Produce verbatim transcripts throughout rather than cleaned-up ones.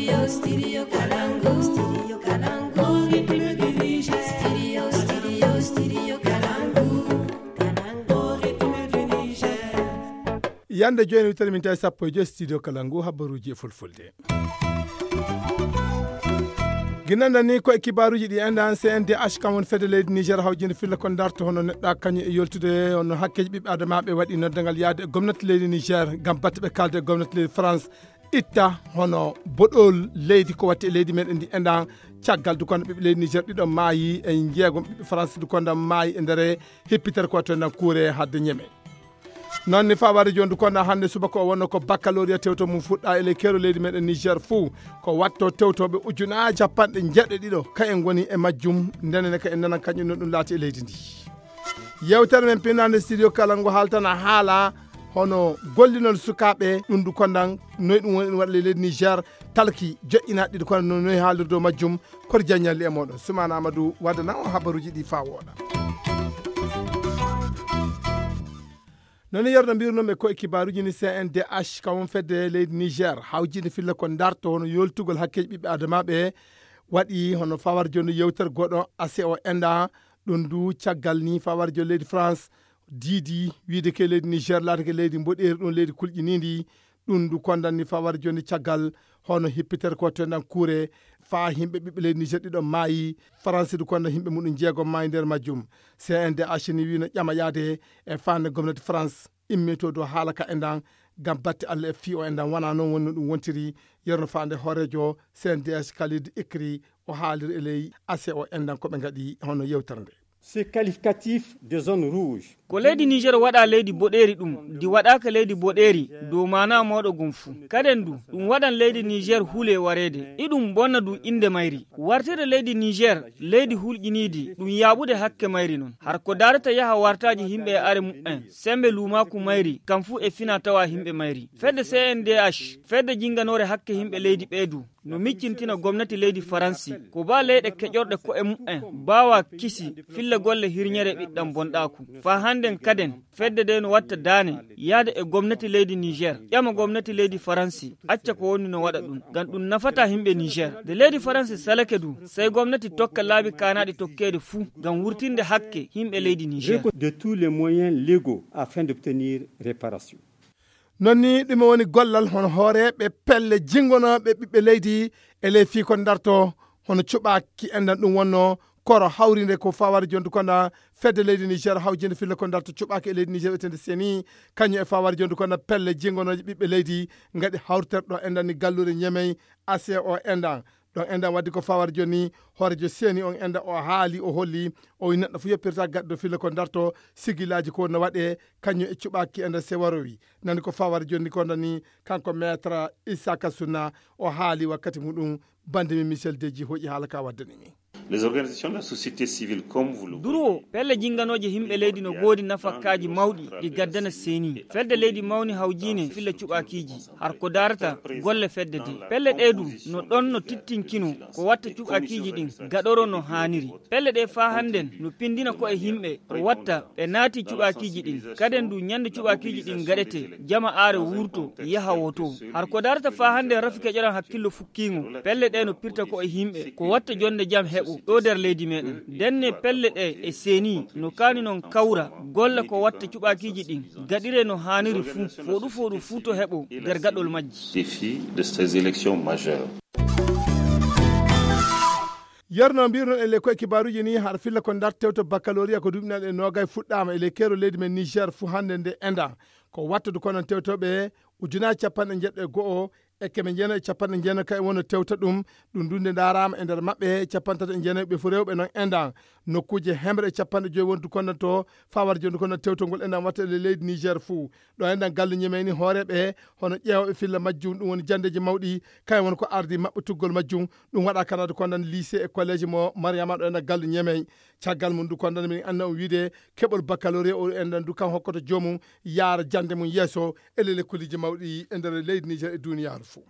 Studio Kalangu. Studio Kalangu. Studio, studio, studio Kalangu. Kalangu, rythme du Niger. Yande jooni wittere min tawi sappo e joy studio Kalangu, habbaruuji e fulfulde. Ginnanɗen ni ko e kibaaruuji ɗi enɗan, C N D H kam woni fedde leydi Niger hawjinde filla ko darto hono neɗɗa kañum e yoltude hono hakkeeji ɓiɓɓe adamaaɓe waɗi noddangal yaade e gomnati leydi Niger ngam batte ɓe kaalde e gomnati leydi France itta hono boɗol leydi ko watti e leydi meɗen ndi enɗan. Caggal dukonda ɓiɓɓe leydi Niger ɗiɗo maayi e jeegom ɓiɓɓe France dukonda maayi e nder hippitere ko watte nan kuure hadde ñeme. Noon ni fawaade jooni dukonda hannde subaka o wonno ko baccalauréat tewto mum fuɗɗa e ley keero leydi meɗen Niger fuu. Ko watto tewtoɓe ujunaaji capanɗe jeeɗiɗo ɗiɗo ka en ngoni e majjum. Ndenene ka en nanan kañum no ɗum laati e leydi ndi. Yewtere men pinande studio kala ngo haaltana haala hono gollinol sukaaɓe ɗum dukondan noy ɗum woni waɗa e leydi Niger. Talki joƴƴinaɗi ɗi kono no noy haalirde majjum. Koto jaññalli e moɗon Sumana Amadou waddana o habaruuji ɗi faa wooɗa. Noon yerno mbirnoomi ko e kibaaruuji ni C N D H kawon fedde leydi Niger hawjinde filla ko darto hono yoltugol hakkeeji ɓiɓɓe adamaaɓe waɗi hono fawar jooni yewtere goɗɗo ase o enda. Ɗum du caggal ni fawar jooni leydi France diidi wiide ke leydi Niger laatake leydi mboɗeeri ɗum leydi kulƴiniindi. Ɗum du kondan ni fawar jooni caggal hono hippitere ko tendan kuure faa yimɓe ɓiɓɓe leydi Niger ɗiɗo maayi. France du kondan yimɓe muɗum jeegom maayi nder majjum. C N D H ni wiino ƴama yaade e fande gomnati France immito dow haala ka endan ngam batte Allah e fii o endan wona noon woni no ɗum wontiri. Yerno fande hooreejo C N D H Khalid Ikri o haaliri e ley ase o endan ko ɓe ngaɗi hono yewtere nde. Ce qualificatif de zone rouge. Ko leydi Niger waɗa leydi boɗeeri ɗum ndi waɗaaka leydi boɗeeri dow maana mawɗo gum fuu. Kaden du ɗum waɗan leydi Niger huule wareede iɗum bonna du innde mayri. Wartire leydi Niger leydi hulƴiniidi ɗum yaaɓude hakke mayri noon. Har ko daarata yaha wartaaji yimɓe e are mu'en, sembe luumaaku mayri, kam fuu e fina tawa yimɓe mayri. Fedde C N D H, fedde jinnganoore hakke yimɓe leydi ɓee du, no miccintina gomnati leydi Faransi, ko baa leyɗe keƴorɗe ko'e mu'en, baawa kisi, filla golle hirñere ɓiɗɗam bonɗaaku. Faa hannden kaden, fedde de no watta daane, yaade e gomnati leydi Niger, ƴama gomnati leydi Faransi, acca ko woni no waɗa ɗum, ngam ɗum nafata yimɓe Niger. Nde leydi Faransi salake du, sey gomnati tokka laabi kaanaaɗi tokkeede fuu, ngam wurtinde hakke yimɓe leydi Niger. De tous les moyens légaux afin d'obtenir réparation. Noon ni ɗum woni gollal hono hooreeɓe pelle jinngonooɓe ɓiɓɓe leydi e ley fii ko darto hono cuɓaaki enɗan ɗum wonno koro hawrinde ko fawar jondu konda fedde leydi Niger hawjinde fille ko darto cuɓaaki e leydi Niger etende seni kañum e fawar jondu konda pelle jinngonooje ɓiɓɓe leydi ngaɗi hawriterɗo enɗan ni galluure ñemey ase o enɗan. Ɗon enɗan waddi ko fawar joni hoorejo seni on enɗan o haali o holli o wi neɗɗo fof yoppirta gaɗɗo fille ko darto sigilaaji ko no waɗe kañum e cuɓaaki enɗan sewarowi. Nani ko fawar joni ko nani kanko maître Issaka Sunna o haali wakkati muɗum bande mi Michel Deji hoƴi haala ka waddani mi. Les organisations de la société civile comme vous le Duro pelle jinganooje himɓe leydi no goodi nafakkaaji mawɗi ɗi gaddana seni fedde leydi mawni hawjiine filla cuɓaakiiji har ko darata golle fedde de pelle ɗe du no ɗon no tittinkino ko watta cuɓaakiiji ɗin gaɗoro no haaniri. Pelle ɗe faa hannden no pindina ko e yimɓe ko watta ɓe naati cuɓaakiiji ɗin kaden du ñande cuɓaakiiji ɗin gaɗete jama aare wurto yaha woto. Har ko darata faa hannden rafi keƴoran hakkillo fukkiingo pelle ɗe no pirta ko e yimɓe ko watta jonde jam heɓo ɗo nder leydi meɗen. Ndenne pelle ɗe e seni no kaani non kawra golla ko watta cuɓaakiiji ɗin gaɗire no haaniri fuu fooɗu fooɗu fuu to heɓo nder gaɗol majji. Défi de ces élections majeures. Yerno mbirno e ley koye kibaaruuji ni har filla ko dartewto baccalauréat ko duuɓi naɗe noogay fuɗɗaama e ley keero leydi men Niger fuu hannde nde enda ko wattude kono tewtoɓe ujunaaji capanɗe jeeɗiɗo e go'o e keme jeenayi e capanɗe jeenayi kay wonno tewta ɗum. Ɗum dunde ndaaraama e nder maɓɓe capanɗe tati e jeenayi ɓe fof rewɓe noon endan nokkuuje hemre e capanɗe joyi wondu kondanto fawar jondu kono tewtongol endan watta e leydi Niger fuu. Ɗo enɗan galle ñemeyni hooreeɓe hono ƴeewooɓe filla majjum ɗum woni janndeeji mawɗi kañum woni ko ardi maɓɓe tuggol majjum. Ɗum waɗa kanada kondan lycée e collége mo mariama ɗo enɗan galle ñemey. Caggal mum du kondan min anna on wiide keɓol baccalauréat o enɗan du kan hokkoto joomum yaara jannde mum yeeso e ley lekkoliji mawɗi e nder leydi Niger e duniyaaru fuu.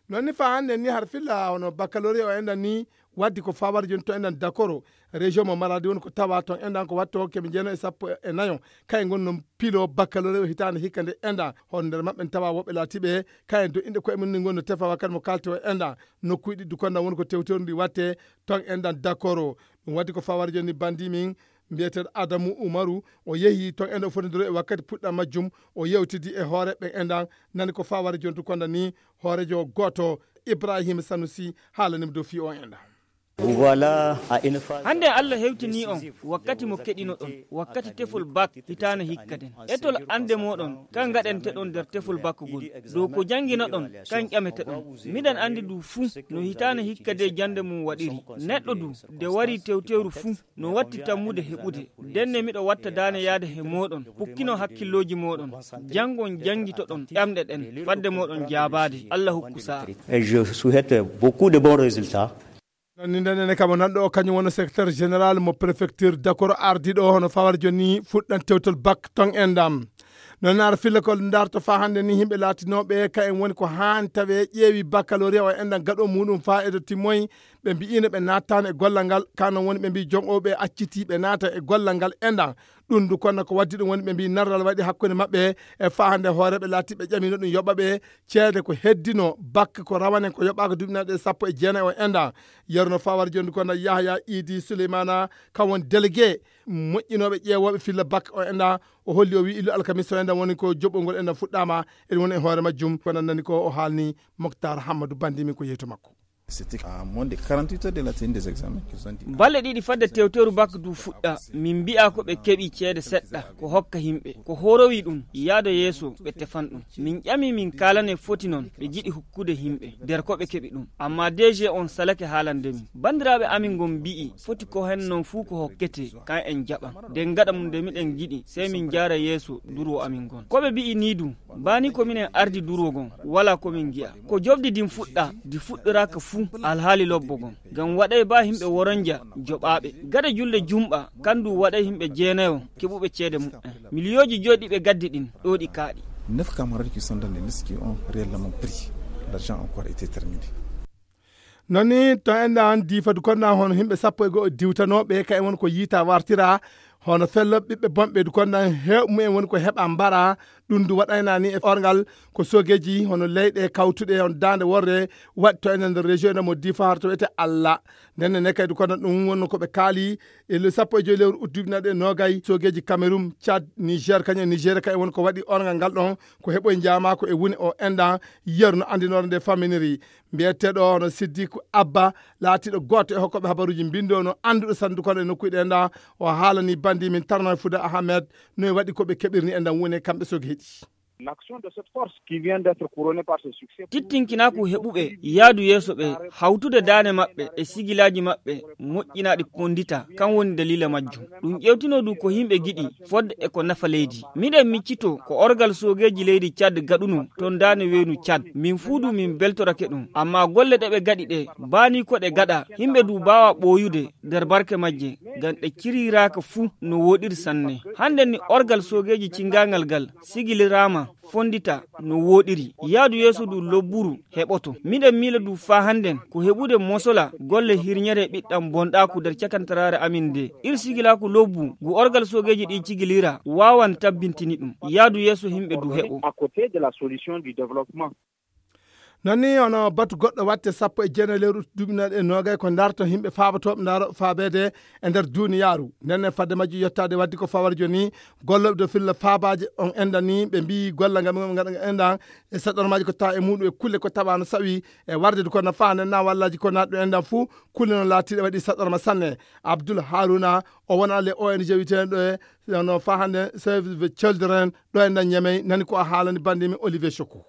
Noon ni faa hannden ni har filla hono baccalauréat o enɗan ni Waddi ko fawar joni to enɗan dakoro, région mo Maradi woni ko tawa ton enɗan ko watto keɓe jeeno e sappo e nayo. Kay ngon non pilo baccalauréat o hitaande hikka nde enɗan. Hono nder maɓɓe en tawa woɓɓe laatiɓe, kay en do inde koye mum ni ngon no tefa wakkati mo kalte o enɗan. Nokkuuji ɗi dukonɗan woni ko tewtewri ndi watte ton enɗan dakoro. Ɗum waddi ko fawar joni bandi min mbiyeteeɗo Adamu Umaru, o yehi ton enɗan o fotindiro e wakkati puɗɗa majjum, o yewtidi e hoore ɓe enɗan, nani ko fawar joni dukonɗan ni hoorejo gooto Ibrahim Sanusi haalanimo dow fi o enɗan. Voilà, à une phase Hannde Allah hewtini on wakkati mo keɗinoɗon, wakkati tefol bak hitaana hikka den. Etol annde moɗon, ka ngaɗenteɗon nder tefol bak gol. Dow ko jannginoɗon, kan ƴameteɗon. Miɗen anndi du fuu no hitaana hikka de jannde mum waɗiri. Neɗɗo du, de wari tewtewru fuu, no watti tammude heɓude. Denne miɗo watta daane yaade he moɗon, pukkino hakkillooji moɗon. Janngon janngitoɗon ƴamɗe ɗen, fadde moɗon jaabaade. Allah hokku sa'a. Et je souhaite beaucoup de bons résultats. Noon ni nden ene kamo nanɗo o kañum woni secrétaire général mo préfecture dakoro ardiɗo hono fawar joni fuɗɗan tewtol bak ton enɗan. Noon ara filla ko darto fa hannde ni yimɓe laatinooɓe ka en woni ko haan tawe ƴeewi baccalauréat o enɗan gaɗo muɗum fa edo timmoyi. Ɓe mbi'ino ɓe nattaano e gollal ngal, ka noon woni ɓe mbi joom o ɓe acciti ɓe naata e gollal ngal enɗan. Ɗum du kono ko waddi ɗum woni ɓe mbi narral waɗi hakkunde maɓɓe e fa hannde hooreɓe laatiɓe ƴamino ɗum yoɓa ɓe ceede ko heddino bakke ko rawane ko yoɓaaka duuɓi naɗe sappo e jeenayi o enɗan. Yeruno fawar joni kono Yahya Idi Suleymana, kam woni délégué moƴƴinooɓe ƴeewooɓe filla bakke o enɗan. O holli o wi illu alkamisa o enɗan woni ko joɓɓol ngol enɗan fuɗɗaama. Eɗum woni e hoore majjum kono nani ko o haalni Moktar Hammadou Bandimi ko yeeto makko. C'était à moins de quarante-huit heures de la tenue des examens qu'ils ont dit. Balle ɗiɗi fadde tewteru bak du fuɗɗa, min mbi'a ko ɓe keɓi ceede seɗɗa ko hokka himɓe ko horowi ɗum yaado yeeso ɓe tefan ɗum. Min ƴami min kaalane foti noon ɓe jiɗi hukkude himɓe nder ko ɓe keɓi ɗum. Amma D G on salake haalande min. Banndiraaɓe amin ngon mbi'i foti ko hen noon fuu ko hokkete kan en jaɓan. Nden gaɗa mum nde miɗen jiɗi sey min njaara yeeso durwo amin ngon. Ko ɓe mbi'i nii du, baa ni ko minen ardi durwo gon, walaa ko min ngi'a. Ko jofdi din fuɗɗa, di fuɗɗoraaka fuu alhaali lobbo gon. Ngam waɗay baa himɓe woronja joɓaaɓe. Gada julde jumɓa, kan du waɗay himɓe jeenayo keɓuɓe ceede muɓɓen. Miliyooji joy ɗi ɓe gaddi ɗin, ɗo ɗi kaaɗi. Neuf camarades qui sont dans les listes qui ont réellement pris. L'argent encore été terminé. Noon ni to enɗan diifadu konɗan hono himɓe sappo e go'o diwtanooɓe ka en woni ko yiita wartira hono fello ɓiɓɓe bonɓe du konɗan heew mumen woni ko heɓa mbara. Ɗum du waɗayna ni e orgal ko sogeji hono leyɗe kawtuɗe on daande worre waɗi to enen nder région ene mo diifa harto wiyete Allah. Nden ne kadi kono ɗum wonno ko ɓe kaali e le sappo e joyi lewru ut duuɓi naɗe nogay sogeji Cameroun, Tchad, Niger, kañum e Niger ka e woni ko waɗi orgal ngal ɗon ko heɓoy njaama ko e woni o enɗan yeru no andinore nde faminiri. Mbiyeteeɗo hono Siddiku Abba laatiiɗo gooto e hokkooɓe habaruuji mbindo no annduɗo sandu kono e nokkuuji ɗe nda o haalani bandi min tarno e Fuda Ahmed no e waɗi ko ɓe keɓirni e ndan woni e kamɓe sogeeɗi. L'action de cette force qui vient d'être couronnée par ce succès. Tittinkinaku heɓuɓe yaadu yeeso ɓe hawtude daane maɓɓe e sigilaaji maɓɓe moƴƴinaaɗi kondita kan woni dalila majjum. Ɗum ƴewtino du ko yimɓe giɗi fodde e ko nafa leydi. Miɗen miccito ko orgal soogeeji leydi Cad gaɗuno ton daane weenu Cad. Min fuu du min beltorake ɗum. Amma golle ɗe ɓe gaɗi ɗe baani ko ɗe gaɗa yimɓe du baawa ɓooyude nder barke majje ngam ɗe ciriraaka fuu no wooɗiri sanne. Hannden ni orgal soogeeji cingaangal gal sigiliraama fondita no wooɗiri. Yaadu yeeso du lobburu heɓoto. Miɗen miila du faa hannden ko heɓude mosola golle hirñere ɓiɗɗam bonɗaaku nder cakantaraare amin nde. Ir sigilaaku lobbu ngu orgal soogeeji ɗi cigilira waawan tabbintini ɗum. Yaadu yeeso yimɓe du heɓo. À côté de la solution du développement. Noon ni hono batu goɗɗo watte sappo e jeenayi lewru duuɓi naɗe e nogay ko darto yimɓe faabatooɓe ndaaro faabeede e nder duuniyaaru. Nden ne fadde majji yottaade waddi ko fawar joni gollooɓe dow filla faabaaje on enɗan ni ɓe mbiyi golla ngam ngaɗa enɗan e saɗormaaji ko tawa e muɗum e kulle ko tawa no sawi e warde du kono faande na wallaji ko naɗɗo enɗan fuu kulle no laatiɗe waɗi saɗorma sanne. Abdoul Haruna o wona le O N G witeɗo e no fahande Save the Children ɗo enɗan Ñamey nani ko a haalani bandi mi Olivier Choko.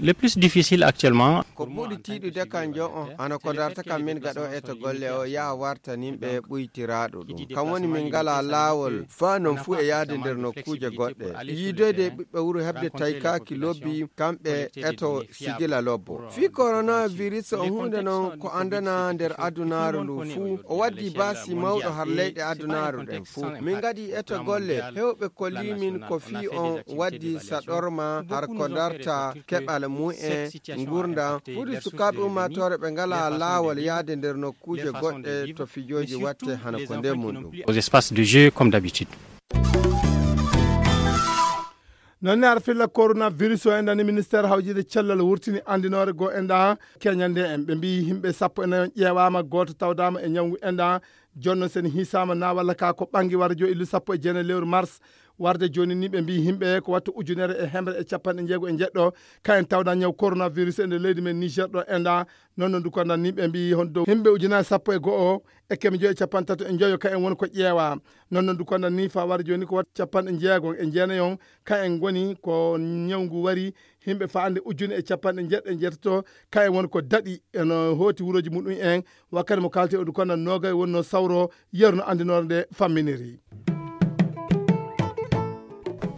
Le plus difficile actuellement. Ko ɓuri tiiɗude kan jo on ana ko darta kam min gaɗo eto golle o yaha wartaninɓe ɓuytiraaɗo ɗum kam woni min ngala laawol faa non fuu e yahde nder nokkuuje goɗɗe yiidoyde e ɓiɓɓe wuro heɓde taykaaki lobbi kamɓe eto sigila lobbo fii coronavirus o huunde non ko anndana nder adunaaru ndu fuu o waddi baasi mawɗo har leyɗe adunaaru ɗen fuu min ngaɗi eto golle hewɓe kollimin ko fii on waddi saɗorma har ko darta keɓal mumen, ngurndan, fudi sukaaɓe ummaatoore ɓe ngalaa laawol yahde nder nokkuuje goɗɗe to fijooji watte hano ko nder mum ɗum. Aux espaces de jeu comme d'habitude. Noon ne, ar filla coronavirus o, enɗan ni ministeer hawjiide cellal wurtini anndinoore goo, enɗan keñande en. Ɓe mbiyi yimɓe sappo e nayo ƴeewaama, gooto tawdaama e ñawngu, enɗan jonno sen hiisaama na walla ka ko ɓanngi warjo illu sappo e jeenayi lewru mars. Warde jooni ni ɓe mbiyi yimɓe ko watta ujunere e hemre e capanɗe jeego e jeɗɗo, ka en tawda ñaw coronavirus e nder leydi men Niger ɗo, enɗan. Noon no ndu kondan ni ɓe mbiyi hon dow yimɓe ujunere sappo e go'o e keme joyi e capanɗe tato e joyo ka en woni ko ƴeewa. Noon no ndu kondan ni fa warde jooni ko watta capanɗe jeego e jeenayi on ka en ngoni ko ñawngu wari, yimɓe fa ande ujune e capanɗe jeɗɗo e jeetato ka en woni ko daɗi eno hooti wurooji muɗum en. Wakkati mo kaalti o ndu kondan noogay wonno sawro yeru no anndinoore nde famminiri.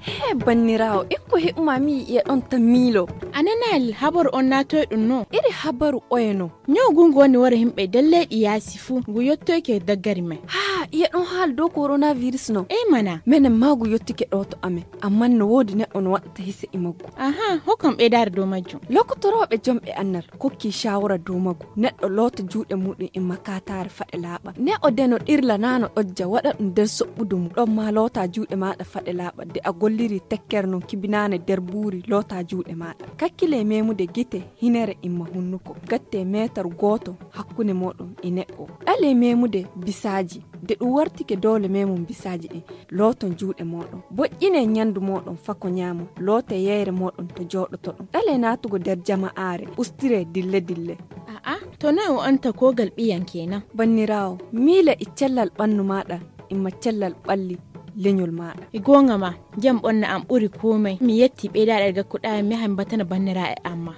He banniraawo, en ko heɓuma mi yi'e ɗon ta miilo. A nanaali habaru on naatoy ɗum no? Iri habaru oye no? Ñaw gungu woni wara yimɓe nder leyɗi yaasi fuu, ngu yottoyke daggari men. Haa, iye ɗon haal dow coronavirus no? Ey mana. Menen maa ngu yottike ɗo to amen, amman no woodi neɗɗo no waɗata hise e maggu. Aha, hokkam ɓeydaare dow majjum. Lokotorooɓe jomɓe annal kokki shawara dow maggu. Neɗɗo loota juuɗe muɗum e makataare faɗe laaɓa. Ne o deno ɗirla na no ɗojja waɗa ɗum nder soɓɓudu mum. Ɗon maa loota juuɗe maaɗa faɗe laaɓa. De a golliri tekkere non kibinaane nder buuri loota juuɗe maaɗa. Kakkile memude gite, hinere imma hunnuko. Gatte meetar gooto hakkunde mooɗon e neɗɗo. Ɗale memude bisaaji. De ɗum wartike doole memum bisaaji ɗin. Looton juuɗe mooɗon. Boƴƴine ñandu mooɗon fako ñaamo. Loote yeyre mooɗon to jooɗotoɗon. Ɗale naatugo nder jama'aare. Ustire dille dille. A'a, to noy o anta kogal ɓiyan kenan? Banniraawo, miila e cellal ɓannu maaɗa, imma cellal ɓalli leñol maaɗa. E goonga ma, jam ɓonna am ɓuri komai. Mi yetti ɓeydaɗe gakkuɗa mi yaha mi batana banniraaɓe amma.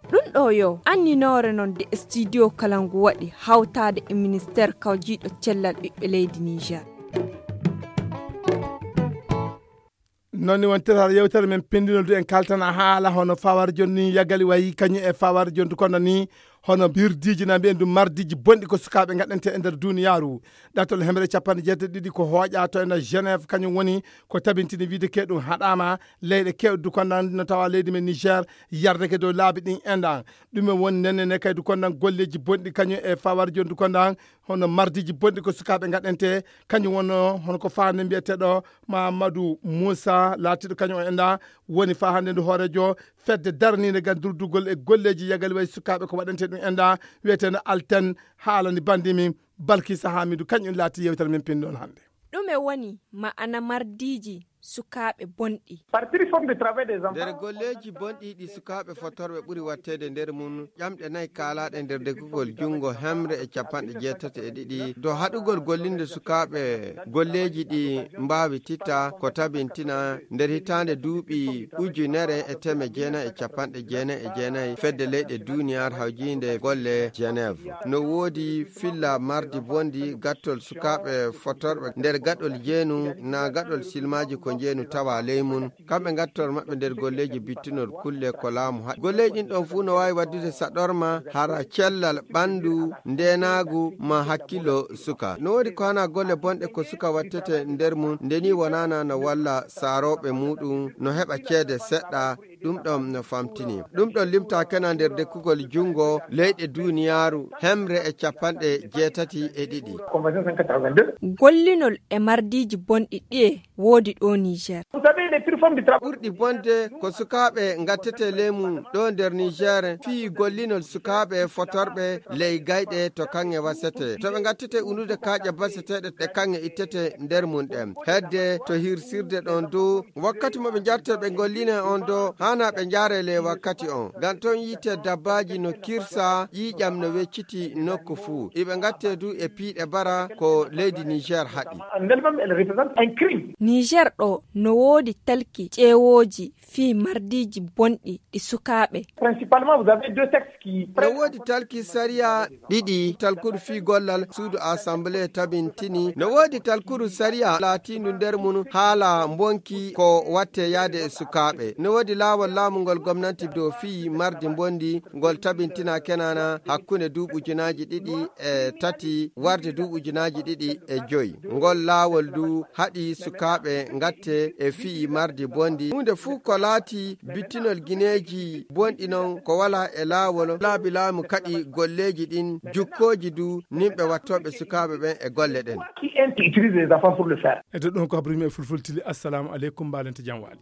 Ɗum ɗo yo anninoore non de studio kala ngu waɗi hawtaade e ministeer kawjiiɗo cellal ɓiɓɓe leydi Niger. Noon ni wontirta yewtere men pinndinol du en kaltana haala hono fawar jonni yagali wayi kañum e fawar jondu kono ni hono birdiiji na mbiyen du mardiiji bonɗi ko sukaaɓe ngaɗante e nder duniyaaru. Ɗatol hemre capanɗe jeetati ɗiɗi ko hooƴa to ena Genève kañum woni ko tabintini wiide ke ɗum haɗaama leyɗe kewɗe du kono no tawa leydi men Niger yardeke dow laabi ɗin enɗan. Ɗum e woni nenne ne kay du kono golleeji bonɗi kañum e fawar jondu kono hono mardiiji bonɗi ko sukaaɓe ngaɗante kañum wonno hono ko faande mbiyeteɗo Mamadou Moussa laatiiɗo kañum o enɗa woni fa hannde ndu hooreejo fedde daraniinde ngam durdugol e golleeji yagal wayi sukaaɓe ko waɗante ɗum enɗa wiyeteeno Alten haalani banndimi Balkisa Hamidu kañum laati yewtere men pinndol hannde. Ɗume woni ma'ana mardiiji sukaaɓe bonɗi? Nder golleeji bonɗi ɗi sukaaɓe fotorɓe ɓuri watteede nder mum ƴamɗe nayi kaalaaɗe nder deggugol junngo hemre e capanɗe jeetati e ɗiɗi dow haɗugol gollinde sukaaɓe golleeji ɗi mbaawi titta ko tabintina nder hitaande duuɓi ujunere e teme jeenayi e capanɗe jeenayi e jeenayi fedde leyɗe duniyar hawjiinde golle Genève. No woodi filla mardi bondi gattol sukaaɓe fotorɓe nder gaɗol jeenu na gaɗol silmaaji ko jeenu tawa ley mum. Kamɓe ngattor maɓɓe nder golleeji bittunor kulle ko laamu haɗi. Golleeji ɗin ɗon fuu no waawi waddude saɗorma hara cellal ɓanndu ndeenaagu ma hakkillo suka. No woodi ko hana golle bonɗe ko suka wattete nder mum nde ni wonana no walla saarooɓe muuɗum no heɓa ceede seɗɗa. Ɗum ɗon no famtini. Ɗum ɗon limta kena nder dekkugol junngo leyɗe duniyaaru hemre e capanɗe jeetati e ɗiɗi. Gollinol e mardiiji bonɗi ɗiye woodi ɗo Niger. Ɓurɗi bonde ko sukaaɓe ngattete leymu ɗo nder Niger fii gollinol sukaaɓe fotorɓe ley gayɗe to kaŋŋe wasete. To ɓe ngattete unude kaaƴe baseteeɗe ɗe kaŋŋe ittete nder mum ɗen. Hedde to hirsirde ɗon dow wakkati mo ɓe njarte ɓe ngolline on dow haana ɓe njaare ley wakkati on. Ngam ton yiite dabbaaji no kirsa ƴiiƴam no wecciti nokku fuu. Iɓe ngatte du e piiɗe bara ko leydi Niger haɗi. Niger ɗo no woodi talki ƴeewooji fii mardiiji bonɗi ɗi sukaaɓe. No woodi talki sariya ɗiɗi, talkuru fii gollal suudu assemblée tabintini. No woodi talkuru sariya laatiindu nder mum haala mbonki ko watte yaade e sukaaɓe. No woodi laawol Laawol laamu ngol gomnanti dow fii mardi mbondi ngol tabintina Kenaana hakkunde duuɓi ujunaaji ɗiɗi e tati warde duuɓi ujunaaji ɗiɗi e joyi. Ngol laawol du haɗi sukaaɓe ngatte e fii mardi mbondi. Huunde fuu ko laati bittinol gineeji bonɗi non ko walaa e laawol. Laabi laamu kaɗi golleeji ɗin, jukkooji du nimɓe wattooɓe sukaaɓe ɓen e golle ɗen. Qui aime qui utilise les enfants pour le faire. E ɗon ko habri mi e fulfultili. Assalamu aleykum, mbalente jam waali.